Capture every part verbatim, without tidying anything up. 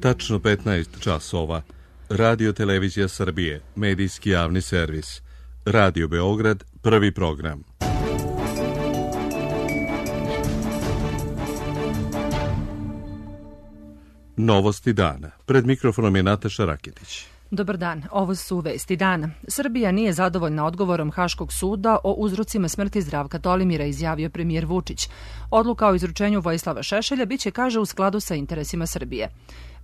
Tačno petnaest časova. Radio Televizija Srbije, medijski javni servis. Radio Beograd, prvi program. Novosti dana. Pred mikrofonom je Nataša Raketić. Dobar dan, ovo su vesti dana. Srbija nije zadovoljna odgovorom Haškog suda o uzrocima smrti Zdravka Tolimira, izjavio premijer Vučić. Odluka o izručenju Vojislava Šešelja biće, kaže, u skladu sa interesima Srbije.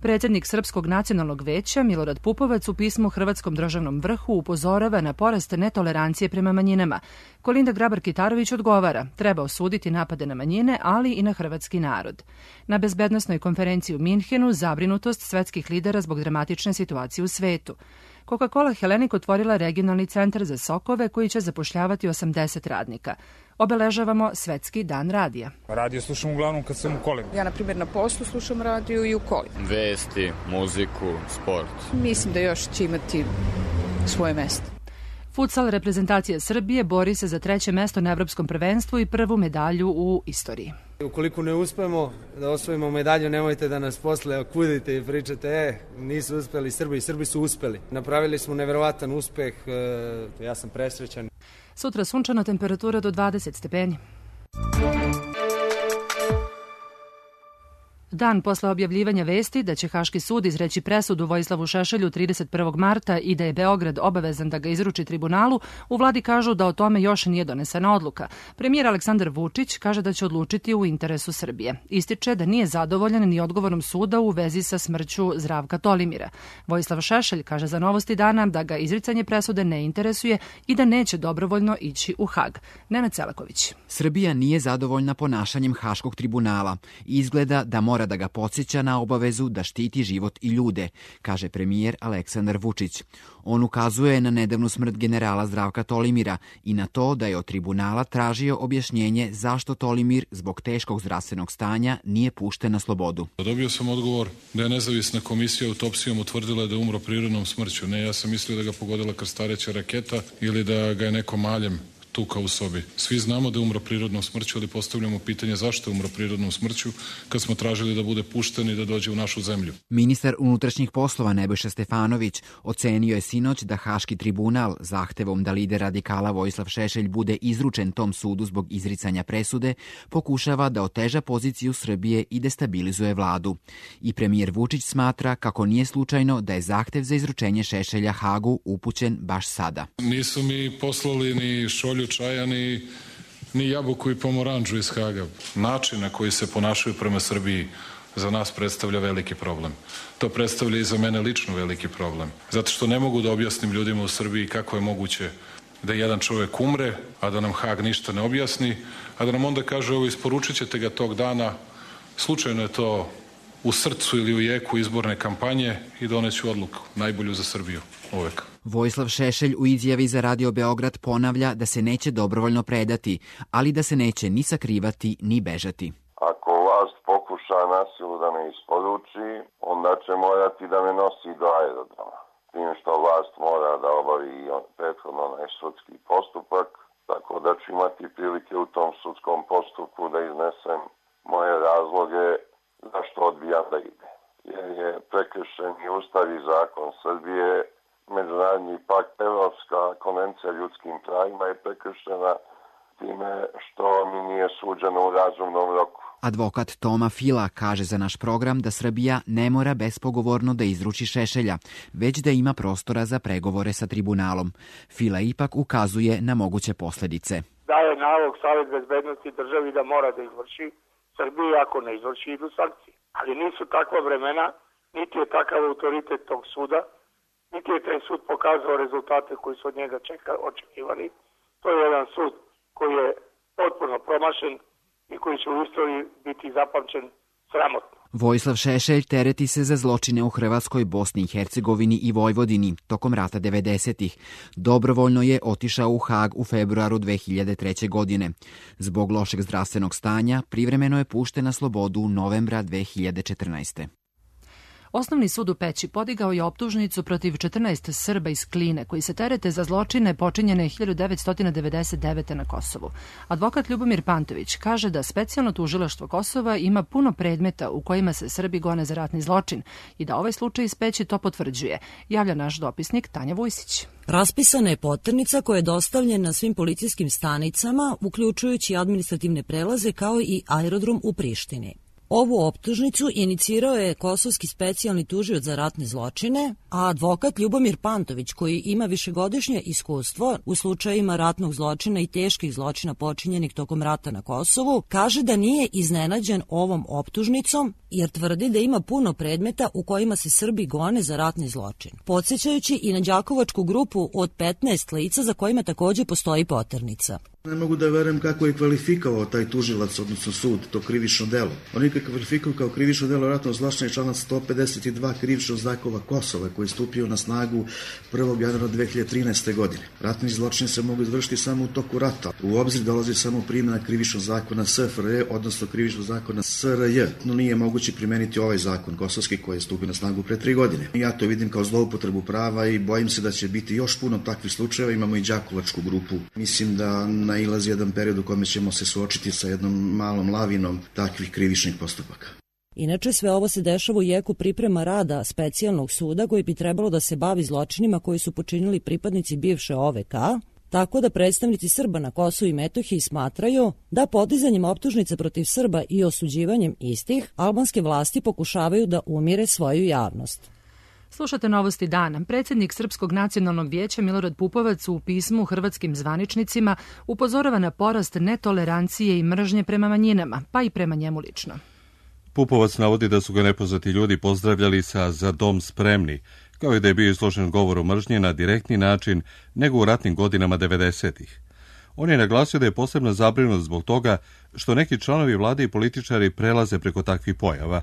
Predsjednik Srpskog nacionalnog veća Milorad Pupovac u pismu Hrvatskom državnom vrhu upozorava na porast netolerancije prema manjinama. Kolinda Grabar-Kitarović odgovara, treba osuditi napade na manjine, ali i na hrvatski narod. Na bezbednosnoj konferenciji u Minhenu zabrinutost svetskih lidera zbog dramatične situacije u svetu. Coca-Cola Hellenic otvorila regionalni centar za sokove koji će zapošljavati osamdeset radnika. Obeležavamo Svetski dan radija. Radio slušam uglavnom kad sam u kolima. Ja, na primjer, na poslu slušam radio i u kolima. Vesti, muziku, sport. Mislim da još će imati svoje mesto. Futsal reprezentacija Srbije bori se za treće mesto na evropskom prvenstvu i prvu medalju u istoriji. Ukoliko ne uspemo da osvojimo medalju, nemojte da nas posle kudite i pričate, e, nisu uspeli Srbi, i Srbi su uspeli. Napravili smo neverovatan uspeh, e, ja sam presrećan. Sutra sunčana, temperatura do dvadeset stepeni. Dan posle objavljivanja vesti da će Haški sud izreći presudu Vojislavu Šešelju trideset prvog marta i da je Beograd obavezan da ga izruči tribunalu, u vladi kažu da o tome još nije donesena odluka. Premijer Aleksandar Vučić kaže da će odlučiti u interesu Srbije. Ističe da nije zadovoljan ni odgovorom suda u vezi sa smrću Zdravka Tolimira. Vojislav Šešelj kaže za Novosti dana da ga izricanje presude ne interesuje i da neće dobrovoljno ići u Hag. Nenad Selaković. Srbija nije zadovoljna ponašanjem Haškog tribunala. Izgleda da mora da ga podsjeća na obavezu da štiti život i ljude, kaže premijer Aleksandar Vučić. On ukazuje na nedavnu smrt generala Zdravka Tolimira i na to da je od tribunala tražio objašnjenje zašto Tolimir zbog teškog zdravstvenog stanja nije pušten na slobodu. Dobio sam odgovor da je nezavisna komisija autopsijom utvrdila da je umro prirodnom smrću. Ne, ja sam mislio da ga pogodila krstareća raketa ili da ga je neko maljem tuka u sobi. Svi znamo da je umro prirodnom smrću, ali postavljamo pitanje zašto je umro prirodnom smrću kad smo tražili da bude pušten i da dođe u našu zemlju. Ministar unutrašnjih poslova Nebojša Stefanović ocenio je sinoć da Haški tribunal zahtevom da lider radikala Vojislav Šešelj bude izručen tom sudu zbog izricanja presude pokušava da oteža poziciju Srbije i destabilizuje vladu. I premijer Vučić smatra kako nije slučajno da je zahtev za izručenje Šešelja Hagu upućen baš sada. Nisu mi poslali ni šolju čaja, ni, ni jabuku i pomoranđu iz Haga. Način na koji se ponašaju prema Srbiji za nas predstavlja veliki problem. To predstavlja i za mene lično veliki problem. Zato što ne mogu da objasnim ljudima u Srbiji kako je moguće da jedan čovjek umre, a da nam Hag ništa ne objasni, a da nam onda kaže ovo isporučit ćete ga tog dana, slučajno je to u srcu ili u jeku izborne kampanje i doneću odluku, najbolju za Srbiju, uvek. Vojislav Šešelj u izjavi za Radio Beograd ponavlja da se neće dobrovoljno predati, ali da se neće ni sakrivati ni bežati. Ako vlast pokuša nasilu da me isporuči, onda će morati da me nosi do aerodroma. Tim što vlast mora da obavi prethodno onaj sudski postupak, tako da ću imati prilike u tom sudskom postupku da iznesem moje razloge zašto odbijam da ide. Jer je prekršen i Ustav i zakon Srbije, Međunarodni pakt, Evropska konvencija ljudskim pravima je prekršena time što mi nije suđeno u razumnom roku. Advokat Toma Fila kaže za naš program da Srbija ne mora bespogovorno da izruči Šešelja, već da ima prostora za pregovore sa tribunalom. Fila ipak ukazuje na moguće posljedice. Daje nalog Savet bezbednosti državi da mora da izvrši Srbiji, ako ne izvrši idu sankcije. Ali nisu takva vremena, niti je takav autoritet tog suda, niti je taj sud pokazao rezultate koji su od njega čeka, očekivani. To je jedan sud koji je potpuno promašen i koji će u istoriji biti zapamćen sramotno. Vojislav Šešelj tereti se za zločine u Hrvatskoj, Bosni i Hercegovini i Vojvodini tokom rata devedesetih. Dobrovoljno je otišao u Hag u februaru dve hiljade treće. godine. Zbog lošeg zdravstvenog stanja privremeno je pušten na slobodu novembra dve hiljade četrnaeste. Osnovni sud u Peći podigao je optužnicu protiv četrnaest Srba iz Kline koji se terete za zločine počinjene hiljadu devetsto devedeset devete. na Kosovu. Advokat Ljubomir Pantović kaže da specijalno tužilaštvo Kosova ima puno predmeta u kojima se Srbi gone za ratni zločin i da ovaj slučaj iz Peći to potvrđuje, javlja naš dopisnik Tanja Vujsić. Raspisana je poternica koja je dostavljena svim policijskim stanicama, uključujući administrativne prelaze kao i aerodrom u Prištini. Ovu optužnicu inicirao je kosovski specijalni tužioc za ratne zločine, a advokat Ljubomir Pantović, koji ima višegodišnje iskustvo u slučajima ratnog zločina i teških zločina počinjenih tokom rata na Kosovu, kaže da nije iznenađen ovom optužnicom jer tvrdi da ima puno predmeta u kojima se Srbi gone za ratni zločin. Podsjećajući i na đakovačku grupu od petnaest lica za kojima takođe postoji poternica. Ne mogu da verujem kako je kvalifikovao taj tužilac, odnosno sud, to krivično delo. On je kvalifikovao kao krivično delo ratnog zločina člana sto pedeset dva krivičnog zakona Kosova koji je stupio na snagu prvog januara dve hiljade trinaeste. godine. Ratni zločini se mogu izvršiti samo u toku rata. U obzir dolazi samo primjena krivičnog zakona S F R J, odnosno krivičnog zakona S R J. No nije moguće primeniti ovaj zakon kosovski koji je stupio na snagu pre tri godine. Ja to vidim kao zloupotrebu prava i bojim se da će biti još puno takvih slučajeva. Imamo i đakovačku grupu. Mislim da nailazi jedan period u kome ćemo se suočiti sa jednom malom lavinom takvih krivičnih postupaka. Inače, sve ovo se dešava u jeku priprema rada specijalnog suda koji bi trebalo da se bavi zločinima koji su počinili pripadnici bivše O V K, tako da predstavnici Srba na Kosovu i Metohiji smatraju da podizanjem optužnice protiv Srba i osuđivanjem istih, albanske vlasti pokušavaju da umire svoju javnost. Slušate Novosti dana. Predsjednik Srpskog nacionalnog vijeća Milorad Pupovac u pismu hrvatskim zvaničnicima upozorava na porast netolerancije i mržnje prema manjinama, pa i prema njemu lično. Pupovac navodi da su ga nepoznati ljudi pozdravljali sa "Za dom spremni", kao i da je bio izložen govoru mržnje na direktni način nego u ratnim godinama devedesetih. On je naglasio da je posebno zabrinut zbog toga što neki članovi vlade i političari prelaze preko takvih pojava.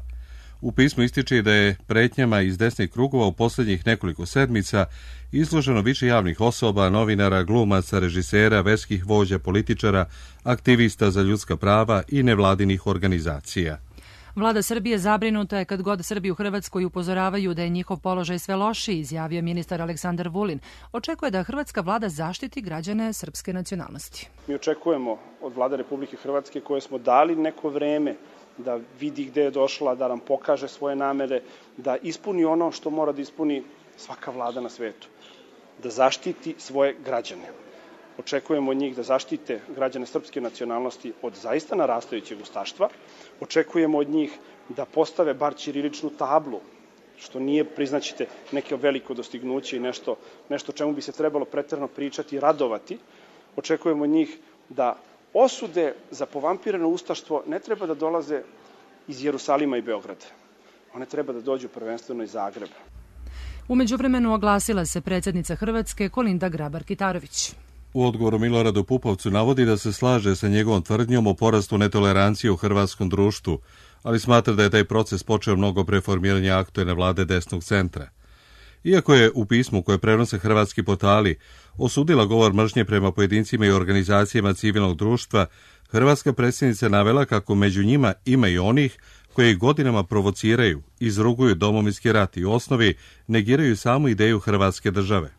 U pismu ističe da je pretnjama iz desnih krugova u posljednjih nekoliko sedmica izloženo više javnih osoba, novinara, glumaca, režisera, verskih vođa, političara, aktivista za ljudska prava i nevladinih organizacija. Vlada Srbije zabrinuta je kad god Srbi u Hrvatskoj upozoravaju da je njihov položaj sve lošiji, izjavio ministar Aleksandar Vulin. Očekuje da hrvatska vlada zaštiti građane srpske nacionalnosti. Mi očekujemo od vlade Republike Hrvatske koje smo dali neko vreme da vidi gde je došla, da nam pokaže svoje namere, da ispuni ono što mora da ispuni svaka vlada na svetu, da zaštiti svoje građane. Očekujemo od njih da zaštite građane srpske nacionalnosti od zaista narastajućeg ustaštva. Očekujemo od njih da postave bar ćiriličnu tablu, što nije, priznaćete, neke veliko dostignuće i nešto, nešto čemu bi se trebalo preterano pričati i radovati. Očekujemo od njih da osude za povampirano ustaštvo ne treba da dolaze iz Jerusalima i Beograda. One treba da dođu prvenstveno iz Zagreba. U međuvremenu oglasila se predsjednica Hrvatske Kolinda Grabar-Kitarović. U odgovoru Miloradu Pupovcu navodi da se slaže sa njegovom tvrdnjom o porastu netolerancije u hrvatskom društvu, ali smatra da je taj proces počeo mnogo pre formiranja aktuelne vlade desnog centra. Iako je u pismu koje prenose hrvatski portali osudila govor mržnje prema pojedincima i organizacijama civilnog društva, hrvatska predsjednica navela kako među njima ima i onih koji godinama provociraju, izruguju domovinski rat i u osnovi negiraju samu ideju hrvatske države.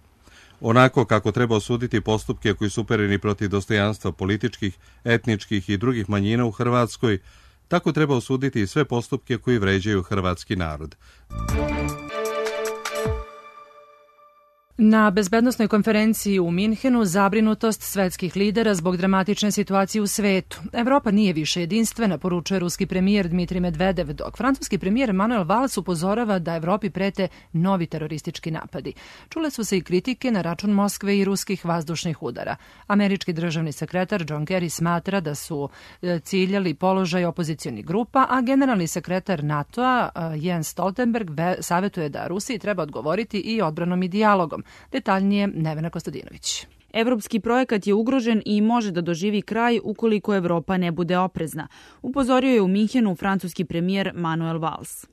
Onako kako treba osuditi postupke koji su upereni protiv dostojanstva političkih, etničkih i drugih manjina u Hrvatskoj, tako treba osuditi i sve postupke koji vređaju hrvatski narod. Na bezbednosnoj konferenciji u Minhenu zabrinutost svetskih lidera zbog dramatične situacije u svetu. Evropa nije više jedinstvena, poručuje ruski premijer Dmitrij Medvedev, dok francuski premijer Manuel Valls upozorava da Evropi prete novi teroristički napadi. Čule su se i kritike na račun Moskve i ruskih vazdušnih udara. Američki državni sekretar John Kerry smatra da su ciljali položaj opozicionih grupa, a generalni sekretar NATO-a Jens Stoltenberg savjetuje da Rusiji treba odgovoriti i odbranom i dijalogom. Detaljnije Nevena Kostadinović. Evropski projekat je ugrožen i može da doživi kraj ukoliko Evropa ne bude oprezna, upozorio je u Minhenu francuski premijer Manuel Valls.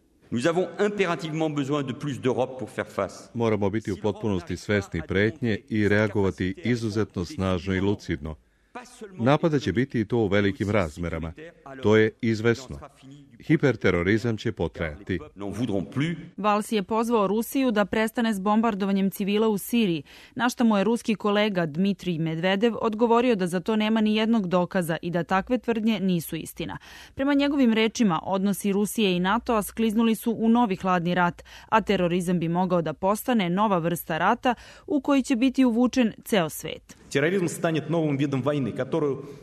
Moramo biti u potpunosti svesni pretnje i reagovati izuzetno snažno i lucidno. Napada će biti i to u velikim razmerama. To je izvesno. Hiperterorizam će potrajati. Valls je pozvao Rusiju da prestane s bombardovanjem civila u Siriji, na što mu je ruski kolega Dmitrij Medvedev odgovorio da za to nema ni jednog dokaza i da takve tvrdnje nisu istina. Prema njegovim rečima, odnosi Rusije i NATO-a skliznuli su u novi hladni rat, a terorizam bi mogao da postane nova vrsta rata u koji će biti uvučen ceo svet.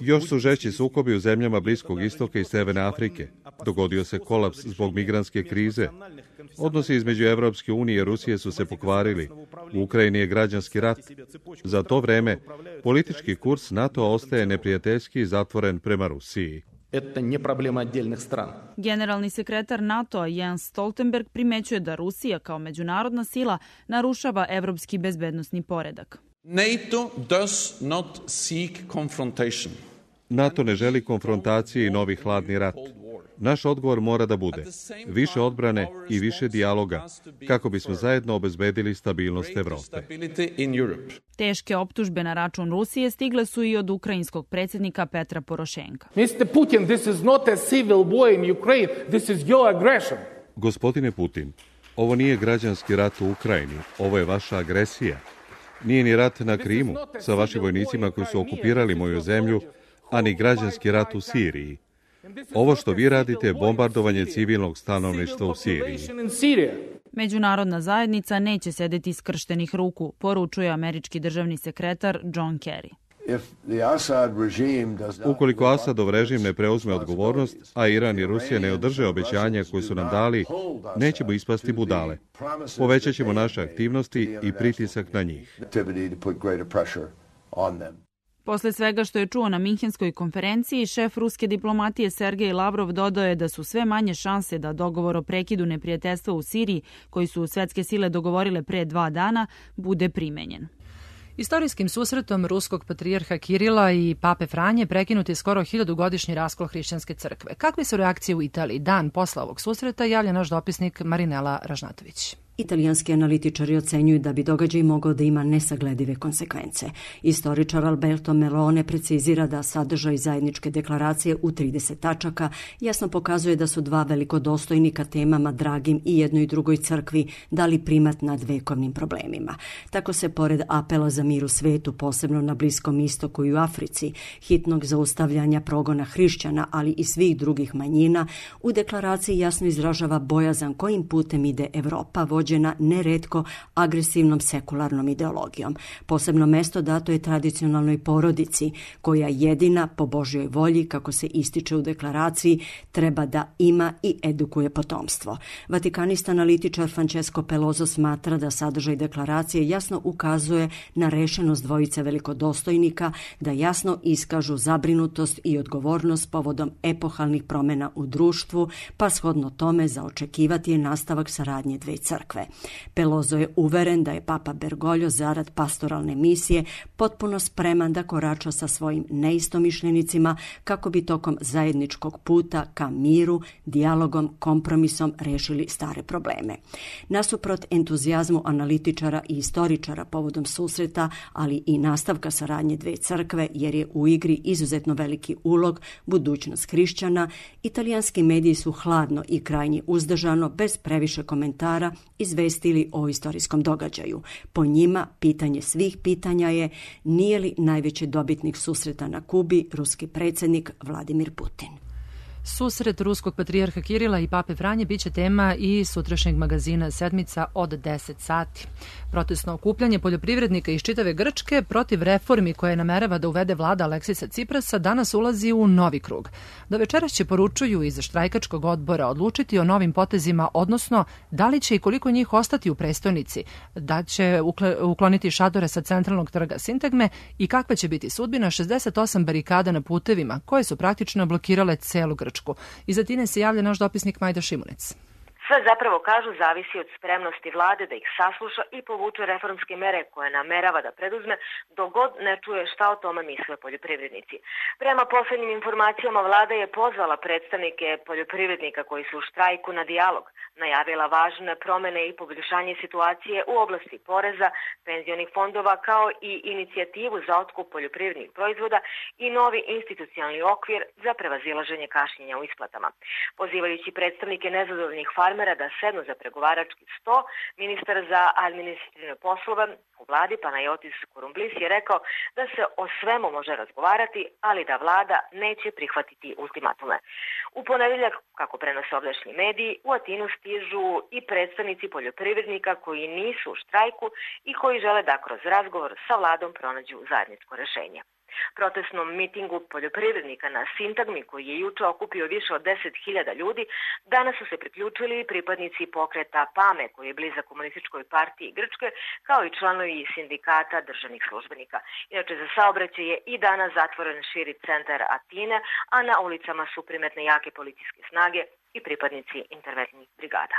Još su žešći sukobi u zemljama Bliskog istoka i Severne Afrike. Dogodio se kolaps zbog migrantske krize. Odnosi između Evropske unije i Rusije su se pokvarili. U Ukrajini je građanski rat. Za to vreme politički kurs NATO ostaje neprijateljski i zatvoren prema Rusiji. Generalni sekretar NATO-a Jens Stoltenberg primećuje da Rusija kao međunarodna sila narušava evropski bezbednosni poredak. NATO does not seek confrontation. NATO ne želi konfrontacije i novi hladni rat. Naš odgovor mora da bude više odbrane i više dijaloga kako bismo zajedno obezbedili stabilnost Evrope. Teške optužbe na račun Rusije stigle su i od ukrajinskog predsjednika Petra Porošenka. mister Putin, this is not a civil war in Ukraine, this is your aggression. Gospodine Putin, ovo nije građanski rat u Ukrajini, ovo je vaša agresija. Nije ni rat na Krimu sa vašim vojnicima koji su okupirali moju zemlju, a ni građanski rat u Siriji. Ovo što vi radite je bombardovanje civilnog stanovništva u Siriji. Međunarodna zajednica neće sedeti skrštenih ruku, poručuje američki državni sekretar John Kerry. Ukoliko Asadov režim ne preuzme odgovornost, a Iran i Rusija ne održe obećanja koje su nam dali, nećemo ispasti budale. Povećat ćemo naše aktivnosti i pritisak na njih. Posle svega što je čuo na Minhenskoj konferenciji, šef ruske diplomatije Sergej Lavrov dodao je da su sve manje šanse da dogovor o prekidu neprijateljstva u Siriji, koji su svetske sile dogovorile pre dva dana, bude primenjen. Istorijskim susretom ruskog patrijarha Kirila i pape Franje prekinut je skoro hiljadugodišnji raskol hrišćanske crkve. Kakve su reakcije u Italiji dan posle ovog susreta, javlja naš dopisnik Marinela Ražnatović. Italijanski analitičari ocenjuju da bi događaj mogao da ima nesagledive konsekvence. Istoričar Alberto Melone precizira da sadržaj zajedničke deklaracije u trideset tačaka jasno pokazuje da su dva velikodostojnika temama dragim i jednoj i drugoj crkvi dali primat nad vekovnim problemima. Tako se pored apela za mir u svetu, posebno na Bliskom istoku i u Africi, hitnog zaustavljanja progona hrišćana, ali i svih drugih manjina, u deklaraciji jasno izražava bojazan kojim putem ide Evropa, vođena neretko agresivnom sekularnom ideologijom. Posebno mesto dato je tradicionalnoj porodici, koja jedina po Božjoj volji, kako se ističe u deklaraciji, treba da ima i edukuje potomstvo. Vatikanista analitičar Francesco Peloso smatra da sadržaj deklaracije jasno ukazuje na rešenost dvojice velikodostojnika da jasno iskažu zabrinutost i odgovornost povodom epohalnih promena u društvu, pa shodno tome za očekivati je nastavak saradnje dve crkve. Peloso je uveren da je papa Bergoglio zarad pastoralne misije potpuno spreman da korača sa svojim neistomišljenicima kako bi tokom zajedničkog puta ka miru, dijalogom, kompromisom rešili stare probleme. Nasuprot entuzijazmu analitičara i istoričara povodom susreta, ali i nastavka saradnje dve crkve, jer je u igri izuzetno veliki ulog budućnost hrišćana, italijanski mediji su hladno i krajnje uzdržano, bez previše komentara, izvestili o istorijskom događaju. Po njima, pitanje svih pitanja je nije li najveći dobitnik susreta na Kubi ruski predsjednik Vladimir Putin. Susret ruskog patrijarha Kirila i pape Franje biće tema i sutrašnjeg magazina Sedmica od deset sati. Protestno okupljanje poljoprivrednika iz čitave Grčke protiv reformi koje namerava da uvede vlada Aleksisa Ciprasa danas ulazi u novi krug. Do večeras će, poručuju iz štrajkačkog odbora, odlučiti o novim potezima, odnosno da li će i koliko njih ostati u prestonici, da će ukloniti šatore sa centralnog trga Sintagme i kakva će biti sudbina šezdeset osam barikada na putevima koje su praktično blokirale celu Grčku. Iz Atine se javlja naš dopisnik Majda Šimunec. Sve zapravo, kažu, zavisi od spremnosti vlade da ih sasluša i povuče reformske mere koje namerava da preduzme dok god ne čuje šta o tome misle poljoprivrednici. Prema poslednjim informacijama, vlada je pozvala predstavnike poljoprivrednika koji su u štrajku na dijalog, najavila važne promene i poboljšanje situacije u oblasti poreza, penzionih fondova, kao i inicijativu za otkup poljoprivrednih proizvoda i novi institucionalni okvir za prevazilaženje kašnjenja u isplatama. Pozivajući predstavnike nezadovoljnih farmera da sednu za pregovarački sto, ministar za administrativne poslove u vladi Panajotis Kurumblis je rekao da se o svemu može razgovarati, ali da vlada neće prihvatiti ultimatume. U ponedeljak, kako prenose ovdašnji mediji, u Atinu stižu i predstavnici poljoprivrednika koji nisu u štrajku i koji žele da kroz razgovor sa vladom pronađu zajedničko rešenje. Protestnom mitingu poljoprivrednika na Sintagmi, koji je juče okupio više od deset hiljada ljudi, danas su se priključili pripadnici pokreta PAME, koji je blizak komunističkoj partiji Grčke, kao i članovi sindikata državnih službenika. Inače, za saobraćaj je i danas zatvoren širi centar Atine, a na ulicama su primetne jake policijske snage i pripadnici interventnih brigada.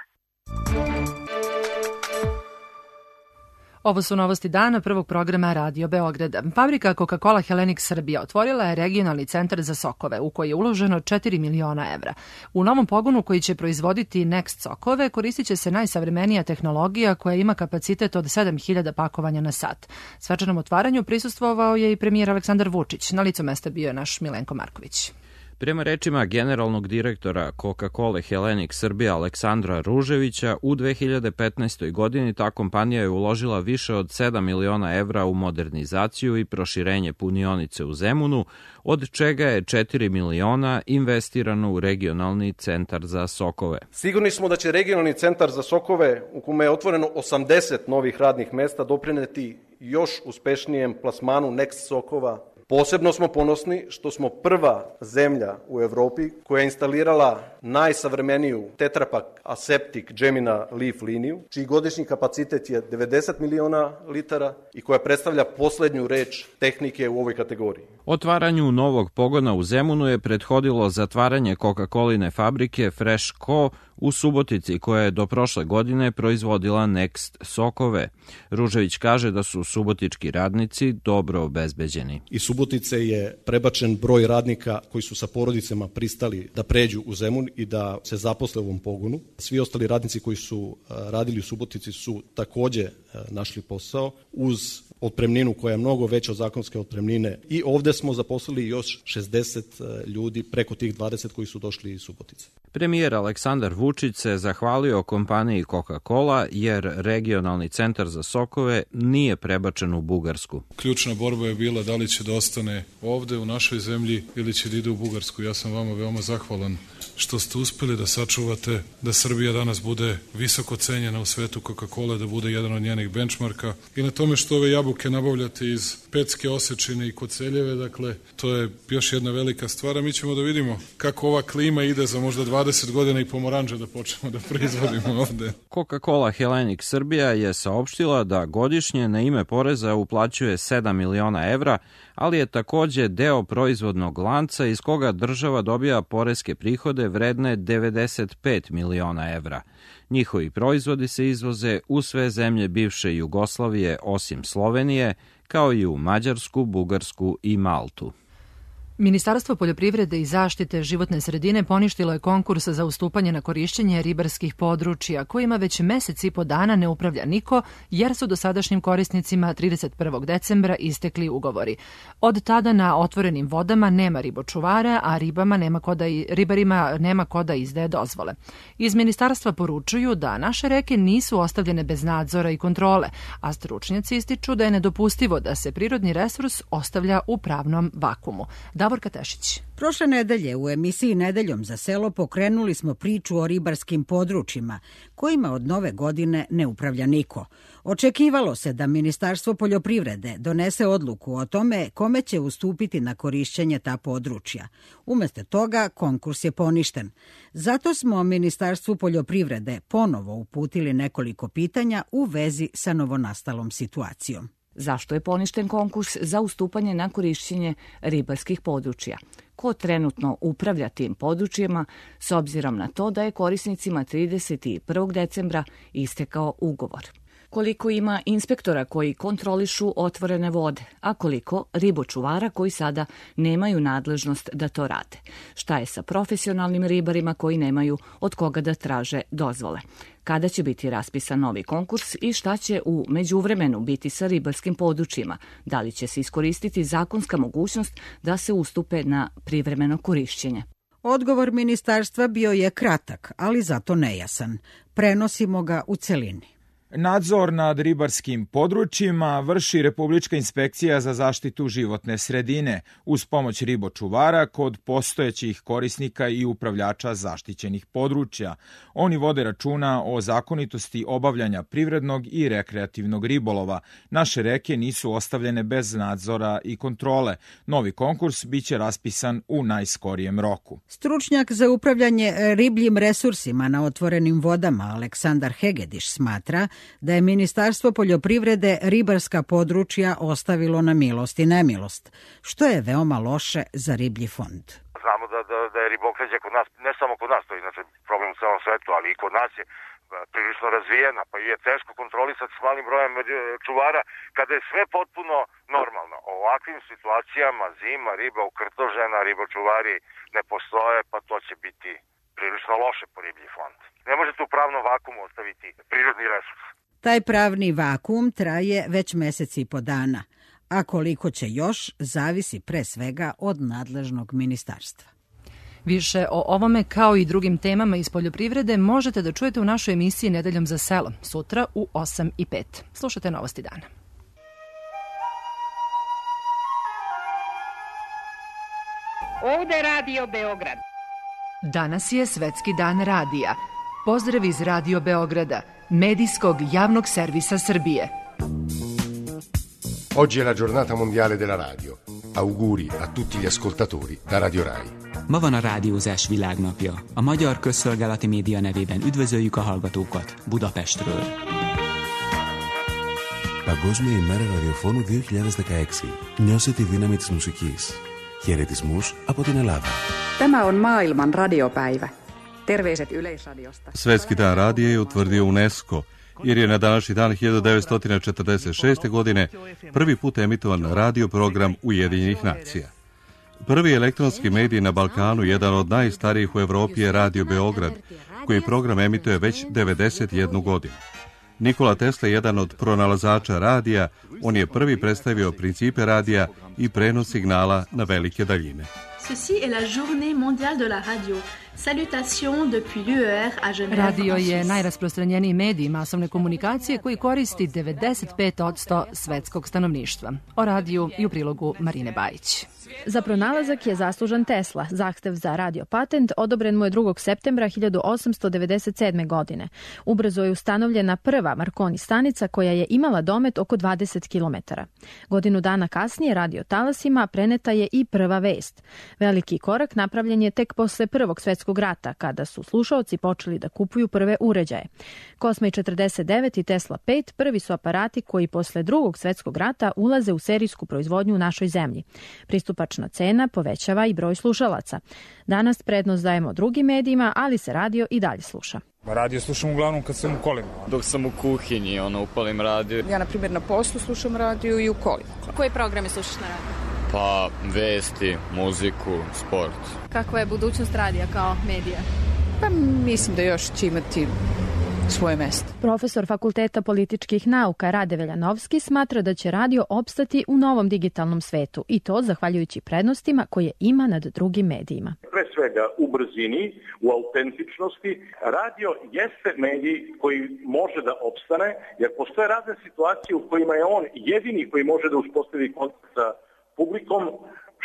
Ovo su novosti dana prvog programa Radio Beograda. Fabrika Coca-Cola Hellenic Srbija otvorila je regionalni centar za sokove u koji je uloženo četiri miliona evra. U novom pogonu koji će proizvoditi Next sokove koristit će se najsavremenija tehnologija koja ima kapacitet od sedam hiljada pakovanja na sat. Svečanom otvaranju prisustvovao je i premijer Aleksandar Vučić. Na licu mesta bio je naš Milenko Marković. Prema rečima generalnog direktora Coca-Cola Hellenic Srbija Aleksandra Ruževića, u dve hiljade petnaestoj. godini ta kompanija je uložila više od sedam miliona evra u modernizaciju i proširenje punionice u Zemunu, od čega je četiri miliona investirano u regionalni centar za sokove. Sigurni smo da će regionalni centar za sokove, u kome je otvoreno osamdeset novih radnih mesta, doprineti još uspešnijem plasmanu Next sokova. Posebno smo ponosni što smo prva zemlja u Evropi koja je instalirala najsavremeniju Tetra-Pak Aseptic Gemina Leaf liniju, čiji godišnji kapacitet je devedeset miliona litara i koja predstavlja poslednju reč tehnike u ovoj kategoriji. Otvaranju novog pogona u Zemunu je prethodilo zatvaranje Coca-Coline fabrike Fresh Co. u Subotici, koja je do prošle godine proizvodila Next sokove. Ružević kaže da su subotički radnici dobro obezbeđeni. Iz Subotice je prebačen broj radnika koji su sa porodicama pristali da pređu u Zemun i da se zaposle u ovom pogonu. Svi ostali radnici koji su radili u Subotici su takođe našli posao uz otpremninu koja je mnogo veća od zakonske otpremnine i ovde smo zaposlili još šezdeset ljudi preko tih dvadeset koji su došli iz Subotice. Premijer Aleksandar Vučić se zahvalio kompaniji Coca-Cola jer regionalni centar za sokove nije prebačen u Bugarsku. Ključna borba je bila da li će da ostane ovde u našoj zemlji ili će da ide u Bugarsku. Ja sam vama veoma zahvalan što ste uspeli da sačuvate da Srbija danas bude visoko cenjena u svetu Coca-Cola, da bude jedan od njenih benchmarka i na tome što ove jabuke nabavljate iz Pecke, Osečine i Koceljeve, dakle, to je još jedna velika stvar, a mi ćemo da vidimo kako ova klima ide za možda dvadeset godina i pomoranđe da počnemo da proizvodimo ovde. Coca-Cola Hellenic Srbija je saopštila da godišnje na ime poreza uplaćuje sedam miliona evra, ali je takođe deo proizvodnog lanca iz koga država dobija poreske prihode vredne devedeset pet miliona evra. Njihovi proizvodi se izvoze u sve zemlje bivše Jugoslavije osim Slovenije, kao i u Mađarsku, Bugarsku i Maltu. Ministarstvo poljoprivrede i zaštite životne sredine poništilo je konkurs za ustupanje na korišćenje ribarskih područja, kojima već mesec i po dana ne upravlja niko, jer su dosadašnjim korisnicima trideset prvog decembra istekli ugovori. Od tada na otvorenim vodama nema ribočuvara, a ribama nema ko da, ribarima nema ko da izdaje dozvole. Iz ministarstva poručuju da naše reke nisu ostavljene bez nadzora i kontrole, a stručnjaci ističu da je nedopustivo da se prirodni resurs ostavlja u pravnom vakumu. Davorka Tešić. Prošle nedelje u emisiji Nedeljom za selo pokrenuli smo priču o ribarskim područjima, kojima od nove godine ne upravlja niko. Očekivalo se da Ministarstvo poljoprivrede donese odluku o tome kome će ustupiti na korišćenje ta područja. Umesto toga, konkurs je poništen. Zato smo Ministarstvu poljoprivrede ponovo uputili nekoliko pitanja u vezi sa novonastalom situacijom. Zašto je poništen konkurs za ustupanje na korišćenje ribarskih područja? Ko trenutno upravlja tim područjima s obzirom na to da je korisnicima trideset prvog decembra istekao ugovor? Koliko ima inspektora koji kontrolišu otvorene vode, a koliko ribočuvara koji sada nemaju nadležnost da to rade? Šta je sa profesionalnim ribarima koji nemaju od koga da traže dozvole? Kada će biti raspisan novi konkurs i šta će u međuvremenu biti sa ribarskim područjima? Da li će se iskoristiti zakonska mogućnost da se ustupe na privremeno korišćenje? Odgovor ministarstva bio je kratak, ali zato nejasan. Prenosimo ga u celini. Nadzor nad ribarskim područjima vrši Republička inspekcija za zaštitu životne sredine uz pomoć ribočuvara kod postojećih korisnika i upravljača zaštićenih područja. Oni vode računa o zakonitosti obavljanja privrednog i rekreativnog ribolova. Naše reke nisu ostavljene bez nadzora i kontrole. Novi konkurs biće raspisan u najskorijem roku. Stručnjak za upravljanje ribljim resursima na otvorenim vodama Aleksandar Hegediš smatra da je Ministarstvo poljoprivrede ribarska područja ostavilo na milost i nemilost, što je veoma loše za riblji fond. Znamo da, da, da je ribokređa kod nas, ne samo kod nas, to je inače problem u celom svetu, ali i kod nas je prilično razvijena, pa je teško kontrolisati s malim brojem čuvara kada je sve potpuno normalno. O ovakvim situacijama zima, riba ukrtožena, ribočuvari ne postoje, pa to će biti prilično loše po riblji fond. Ne možete u pravnom vakumu ostaviti prirodni resurs. Taj pravni vakuum traje već mesec i po dana, a koliko će još zavisi pre svega od nadležnog ministarstva. Više o ovome kao i drugim temama iz poljoprivrede možete da čujete u našoj emisiji Nedeljom za selo, sutra u osam i pet. Slušajte Novosti dana. Ovde Radio Beograd. Danas je Svetski dan radija. Pozdrav iz Radio Beograda, medijskog javnog servisa Srbije. Oggi è la giornata mondiale della radio. Auguri a tutti gli ascoltatori da Radio Rai. Ma van a rádiózás világnapja. A Magyar Közszolgálati Média nevében üdvözöljük a hallgatókat Budapestről. Παγκόσμια ημέρα ραδιοφώνου δύο χιλιάδες δεκαέξι. Νιώσε τη δύναμη της μουσικής. Χαιρετισμούς από την Ελλάδα. Tämä on maailman radiopäivä. Terveiset Yleisradiosta. Svetski dan radija je utvrdio UNESCO, jer je na današnji dan hiljadu devetsto četrdeset šeste. godine prvi put emitovan radio program Ujedinjenih nacija. Prvi elektronski medij na Balkanu, jedan od najstarijih u Evropi, je Radio Beograd, koji program emituje već devedeset jednu godinu. Nikola Tesla je jedan od pronalazača radija, on je prvi predstavio principe radija i prenos signala na velike daljine. Ceci est la journée mondiale de la radio. Salutations depuis l'U E R à Genève. Radio je najrasprostranjeniji medij masovne komunikacije koji koristi devedeset pet posto svetskog stanovništva. O radiju i u prilogu Marine Bajić. Za pronalazak je zaslužan Tesla. Zahtev za radio patent odobren mu je drugog septembra hiljadu osamsto devedeset sedme. godine. Ubrzo je ustanovljena prva Marconi stanica koja je imala domet oko dvadeset kilometara. Godinu dana kasnije radio talasima preneta je i prva vest. Veliki korak napravljen je tek posle Prvog svetskog rata, kada su slušaoci počeli da kupuju prve uređaje. Cosma četrdeset devet i Tesla pet prvi su aparati koji posle Drugog svetskog rata ulaze u serijsku proizvodnju u našoj zemlji. Pristupačna cena povećava i broj slušalaca. Danas prednost dajemo drugim medijima, ali se radio i dalje sluša. Radio slušam uglavnom kad sam u kolima. Dok sam u kuhinji, ono, upalim radio. Ja, na primjer, na poslu slušam radio i u kolima. Koje programe slušaš na radio? Pa, vesti, muziku, sport. Kakva je budućnost radija kao medija? Pa mislim da još će imati svoje mesto. Profesor Fakulteta političkih nauka Rade Veljanovski smatra da će radio opstati u novom digitalnom svetu i to zahvaljujući prednostima koje ima nad drugim medijima. Pre svega u brzini, u autentičnosti. Radio jeste medij koji može da opstane, jer postoje razne situacije u kojima je on jedini koji može da uspostavi kontakt sa publikom,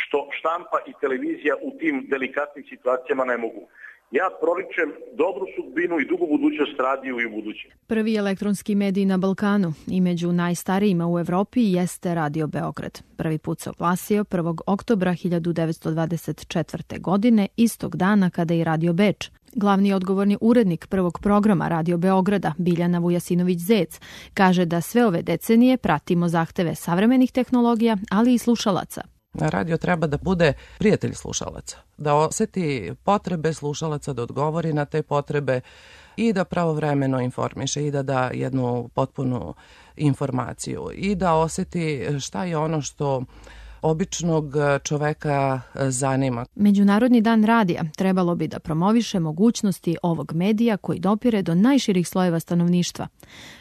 što štampa i televizija u tim delikatnim situacijama ne mogu. Ja proričem dobru sudbinu i dugu budućnost radiju i u budućem. Prvi elektronski medij na Balkanu i među najstarijima u Evropi jeste Radio Beograd. Prvi put se oglasio prvog oktobra hiljadu devetsto dvadeset četvrte. godine, istog dana kada i Radio Beč. Glavni odgovorni urednik prvog programa Radio Beograda, Biljana Vujasinović-Zec, kaže da sve ove decenije pratimo zahteve savremenih tehnologija, ali i slušalaca. Radio treba da bude prijatelj slušalaca, da oseti potrebe slušalaca, da odgovori na te potrebe i da pravovremeno informiše i da da jednu potpunu informaciju i da oseti šta je ono što običnog čoveka zanima. Međunarodni dan radija trebalo bi da promoviše mogućnosti ovog medija koji dopire do najširih slojeva stanovništva.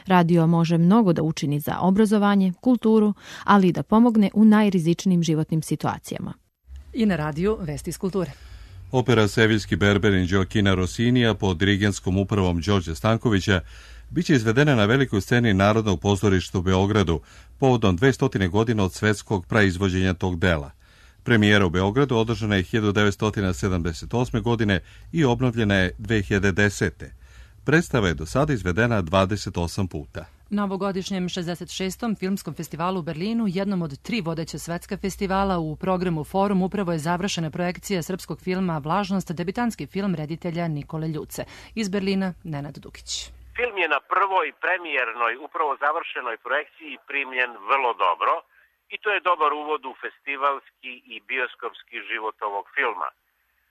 Radio može mnogo da učini za obrazovanje, kulturu, ali i da pomogne u najrizičnijim životnim situacijama. I na radiju Vesti iz kulture. Opera Seviljski berberin Gioachina Rossinija pod dirigenskom upravom Đorđa Stankovića biće izvedena na velikoj sceni Narodnog pozorišta u Beogradu povodom dvesta godina od svetskog praizvođenja tog dela. Premijera u Beogradu održana je hiljadu devetsto sedamdeset osme. godine i obnovljena je dve hiljade desete. Predstava je do sada izvedena dvadeset osam puta. Na ovogodišnjem šezdeset šestom filmskom festivalu u Berlinu, jednom od tri vodeća svetska festivala u programu Forum, upravo je završena projekcija srpskog filma Vlažnost, debitanski film reditelja Nikole Ljuce. Iz Berlina, Nenad Dukić. Film je na prvoj premijernoj, upravo završenoj projekciji primljen vrlo dobro i to je dobar uvod u festivalski i bioskopski život ovog filma.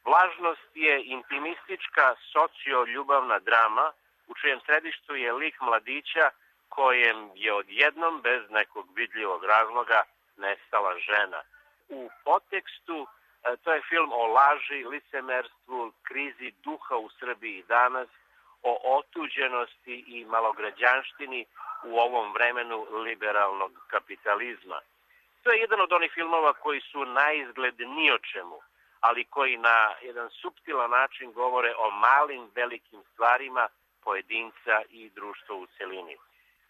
Vlažnost je intimistička socio-ljubavna drama u čijem središtu je lik mladića kojem je odjednom bez nekog vidljivog razloga nestala žena. U podtekstu to je film o laži, licemerstvu, krizi duha u Srbiji danas, o otuđenosti i malograđanštini u ovom vremenu liberalnog kapitalizma. To je jedan od onih filmova koji su na izgled ni o čemu, ali koji na jedan suptilan način govore o malim, velikim stvarima pojedinca i društva u celini.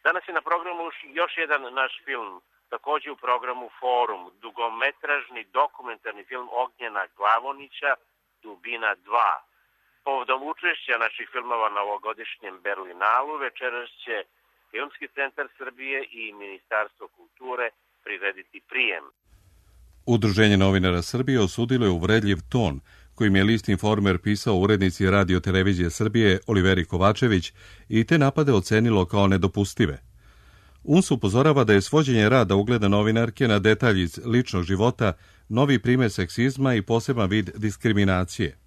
Danas je na programu još jedan naš film, također u programu Forum, dugometražni dokumentarni film Ognjena Glavonića, Dubina dva. Povodom učešća naših filmova na ovogodišnjem Berlinalu večeras će Filmski centar Srbije i Ministarstvo kulture prirediti prijem. Udruženje novinara Srbije osudilo je uvredljiv ton kojim je list Informer pisao urednici Radio televizije Srbije Oliveri Kovačević i te napade ocenilo kao nedopustive. U N S upozorava da je svođenje rada ugleda novinarke na detalji iz ličnog života novi primer seksizma i poseban vid diskriminacije.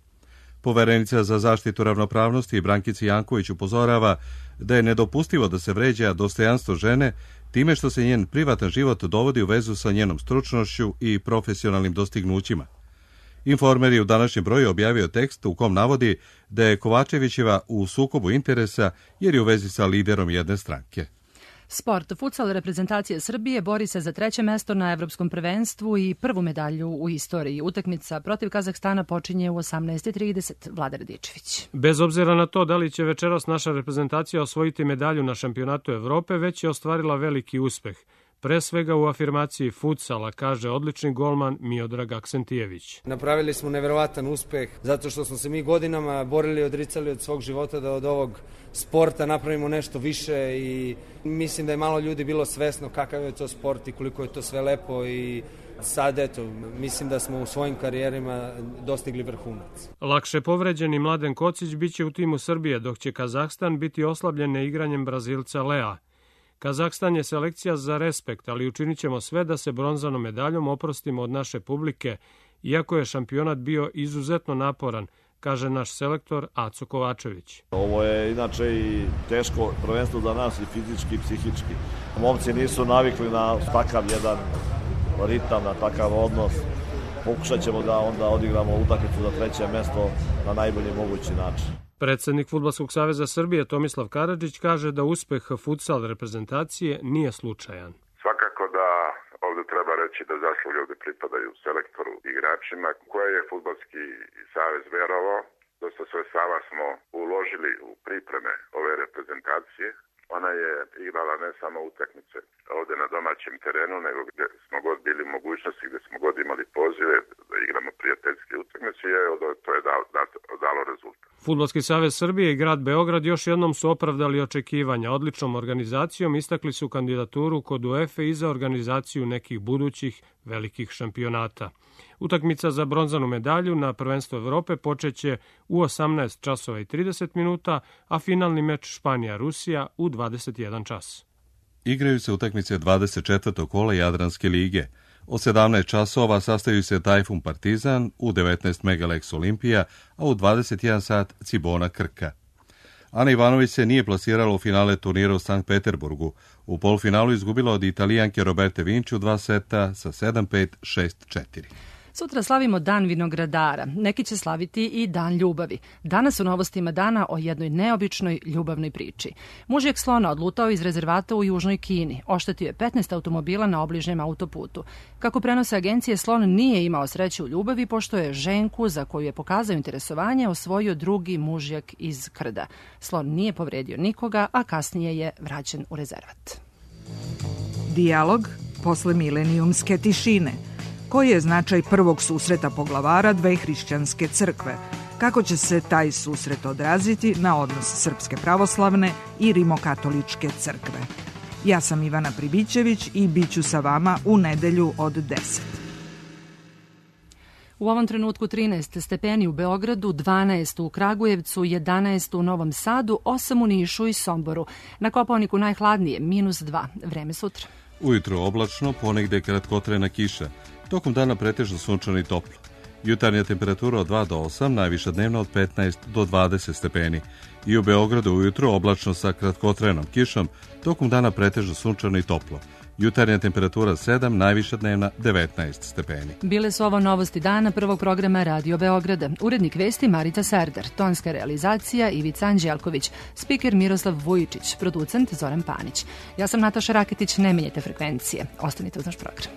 Poverenica za zaštitu ravnopravnosti Brankica Janković upozorava da je nedopustivo da se vređa dostojanstvo žene time što se njen privatan život dovodi u vezu sa njenom stručnošću i profesionalnim dostignućima. Informer je u današnjem broju objavio tekst u kom navodi da je Kovačevićeva u sukobu interesa jer je u vezi sa liderom jedne stranke. Sport. Futsal reprezentacije Srbije bori se za treće mesto na evropskom prvenstvu i prvu medalju u istoriji. Utakmica protiv Kazahstana počinje u osamnaest i trideset. Vlada Radičević. Bez obzira na to da li će večeras naša reprezentacija osvojiti medalju na šampionatu Evrope, već je ostvarila veliki uspeh. Pre svega u afirmaciji futsala, kaže odlični golman Miodrag Aksentijević. Napravili smo neverovatan uspeh zato što smo se mi godinama borili i odricali od svog života da od ovog sporta napravimo nešto više i mislim da je malo ljudi bilo svesno kakav je to sport i koliko je to sve lepo i sad eto, mislim da smo u svojim karijerima dostigli vrhunac. Lakše povređeni Mladen Kocić biće u timu Srbije, dok će Kazahstan biti oslabljen neigranjem Brazilca Lea. Kazahstan je selekcija za respekt, ali učinit ćemo sve da se bronzanom medaljom oprostimo od naše publike, iako je šampionat bio izuzetno naporan, kaže naš selektor Aco Kovačević. Ovo je inače i teško prvenstvo za nas i fizički i psihički. Momci nisu navikli na takav jedan ritam, na takav odnos. Pokušat ćemo da onda odigramo utakmicu za treće mesto na najbolji mogući način. Predsednik Fudbalskog saveza Srbije Tomislav Karadžić kaže da uspeh futsal reprezentacije nije slučajan. Svakako da ovde treba reći da zasluge ovde pripadaju selektoru i igračima koje je Fudbalski savez verovao. Dosta sredstava smo uložili u pripreme ove reprezentacije. Ona je igrala ne samo utakmice ovde na domaćem terenu, nego gde smo god bili mogućnosti, gde smo god imali pozive da igramo prijateljske utakmice i to je dalo, dalo rezultat. Fudbalski savez Srbije i grad Beograd još jednom su opravdali očekivanja. Odličnom organizacijom istakli su kandidaturu kod UEFA i za organizaciju nekih budućih velikih šampionata. Utakmica za bronzanu medalju na prvenstvu Evrope počeće u osamnaest časova i trideset minuta, a finalni meč Španija-Rusija u dvadeset jedan čas. Igraju se utakmice dvadeset četvrtog kola Jadranske lige. Od sedamnaest časova sastaju se Tajfun Partizan, u devetnaest Megalex Olimpija, a u dvadeset jedan sat Cibona Krka. Ana Ivanović se nije plasirala u finale turnira u Sankt Peterburgu. U polufinalu izgubila od Italijanke Roberte Vinci u dva seta sa sedam pet, šest četiri. Sutra slavimo Dan vinogradara. Neki će slaviti i Dan ljubavi. Danas u novostima dana o jednoj neobičnoj ljubavnoj priči. Mužjak slona odlutao iz rezervata u Južnoj Kini. Oštetio je petnaest automobila na obližnjem autoputu. Kako prenose agencije, slon nije imao sreće u ljubavi, pošto je ženku, za koju je pokazao interesovanje, osvojio drugi mužjak iz Krda. Slon nije povredio nikoga, a kasnije je vraćen u rezervat. Dijalog posle milenijumske tišine. Koji je značaj prvog susreta poglavara dve hrišćanske crkve? Kako će se taj susret odraziti na odnos Srpske pravoslavne i Rimokatoličke crkve? Ja sam Ivana Pribićević i bit ću sa vama u nedelju od deset. U ovom trenutku trinaest stepeni u Beogradu, dvanaest u Kragujevcu, jedanaest u Novom Sadu, osam u Nišu i Somboru. Na Kopaoniku najhladnije, minus dva. Vreme sutra. Ujutro oblačno, ponegde kratkotrajna kiša. Tokom dana pretežno sunčano i toplo. Jutarnja temperatura od dva do osam, najviša dnevna od petnaest do dvadeset stepeni. I u Beogradu ujutro oblačno sa kratkotrajnom kišom, tokom dana pretežno sunčano i toplo. Jutarnja temperatura sedam, najviša dnevna devetnaest stepeni. Bile su ovo novosti dana prvog programa Radio Beograda. Urednik vesti Marica Serdar, tonska realizacija Ivica Anđelković, spiker Miroslav Vujičić, producent Zoran Panić. Ja sam Nataša Raketić, ne menjajte frekvencije. Ostanite uz naš program.